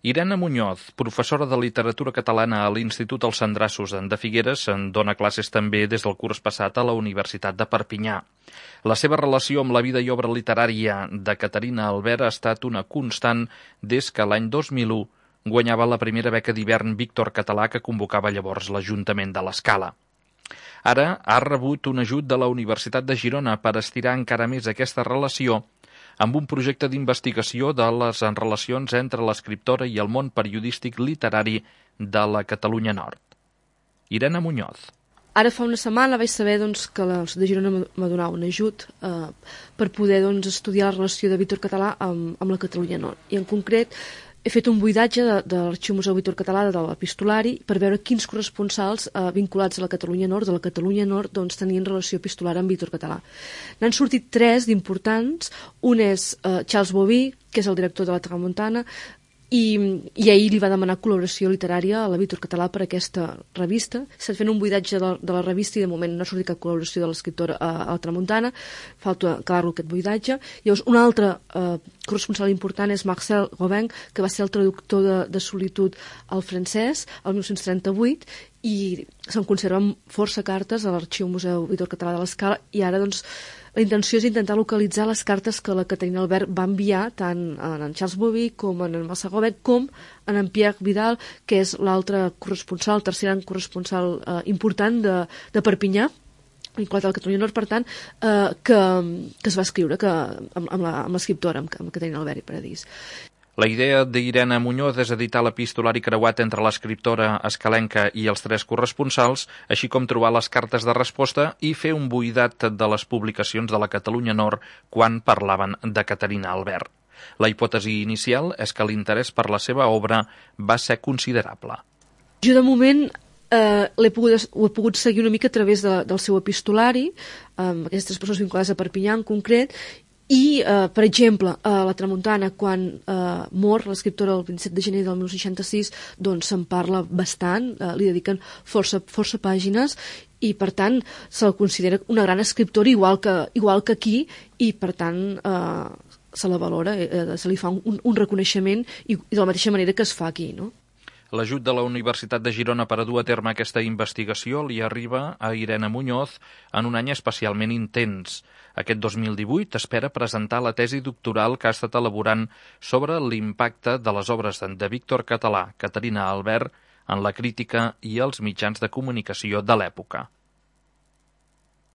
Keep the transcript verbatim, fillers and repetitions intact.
Irene Muñoz, professora de literatura catalana a l'Institut Els Andrassos de Figueres, en dona classes també des del curs passat a la Universitat de Perpinyà. La seva relació amb la vida i obra literària de Caterina Albert ha estat una constant des que l'any dos mil u guanyava la primera beca d'hivern Víctor Català que convocava llavors l'Ajuntament de l'Escala. Ara ha rebut un ajut de la Universitat de Girona per estirar encara més aquesta relació amb un projecte d'investigació de les relacions entre l'escriptora i el món periodístic literari de la Catalunya Nord. Irene Muñoz. Ara fa una setmana vaig saber doncs, que la Universitat de Girona m'ha donat un ajut eh, per poder doncs, estudiar la relació de Víctor Català amb, amb la Catalunya Nord. I en concret he fet un buidatge de, de l'Arxiu Museu Víctor Català de l'Epistolari per veure quins corresponsals eh, vinculats a la Catalunya Nord, de la Catalunya Nord, doncs, tenien relació epistolar amb Víctor Català. N'han sortit tres d'importants. Un és eh, Charles Bobí, que és el director de la Tramuntana, i, i ahir li va demanar col·laboració literària a la Víctor Català per aquesta revista. S'ha fet un buidatge de, de la revista i de moment no ha sortit cap col·laboració de l'escriptor a, a la Tramuntana. Falta acabar-lo aquest buidatge. Llavors, un altre eh, corresponsal important és Marcel Robin, que va ser el traductor de, de Solitud al francès el dinou trenta-vuit, i se'n conserven força cartes a l'Arxiu Museu Víctor Català de l'Escala, i ara doncs la intenció és intentar localitzar les cartes que la Caterina Albert va enviar tant en en Charles Bobí com en en Marcel Robin com en en Pierre Vidal, que és l'altre corresponsal, el tercer any corresponsal eh, important de, de Perpinyà, vinculat a la Catalunya Nord, per tant, eh, que, que es va escriure que, amb, amb l'escriptora, amb, amb Caterina Albert i Paradís. La idea d'Irene Muñoz és editar l'epistolari creuat entre l'escriptora escalenca i els tres corresponsals, així com trobar les cartes de resposta i fer un buidat de les publicacions de la Catalunya Nord quan parlaven de Caterina Albert. La hipòtesi inicial és que l'interès per la seva obra va ser considerable. Jo, de moment, eh, l'he pogut, ho he pogut seguir una mica a través de, del seu epistolari, amb aquestes persones vinculades a Perpinyà en concret, i, eh, per exemple, a la Tramuntana, quan eh, mor l'escriptora el vint-i-set de gener del dinou seixanta-sis, doncs se'n parla bastant, eh, li dediquen força, força pàgines, i per tant se'l considera una gran escriptora igual que, igual que aquí, i per tant eh, se la valora, eh, se li fa un, un reconeixement, i, i de la mateixa manera que es fa aquí, no? L'ajut de la Universitat de Girona per a dur a terme aquesta investigació li arriba a Irene Muñoz en un any especialment intens. Aquest dos mil divuit espera presentar la tesi doctoral que ha estat elaborant sobre l'impacte de les obres de Víctor Català, Caterina Albert, en la crítica i els mitjans de comunicació de l'època.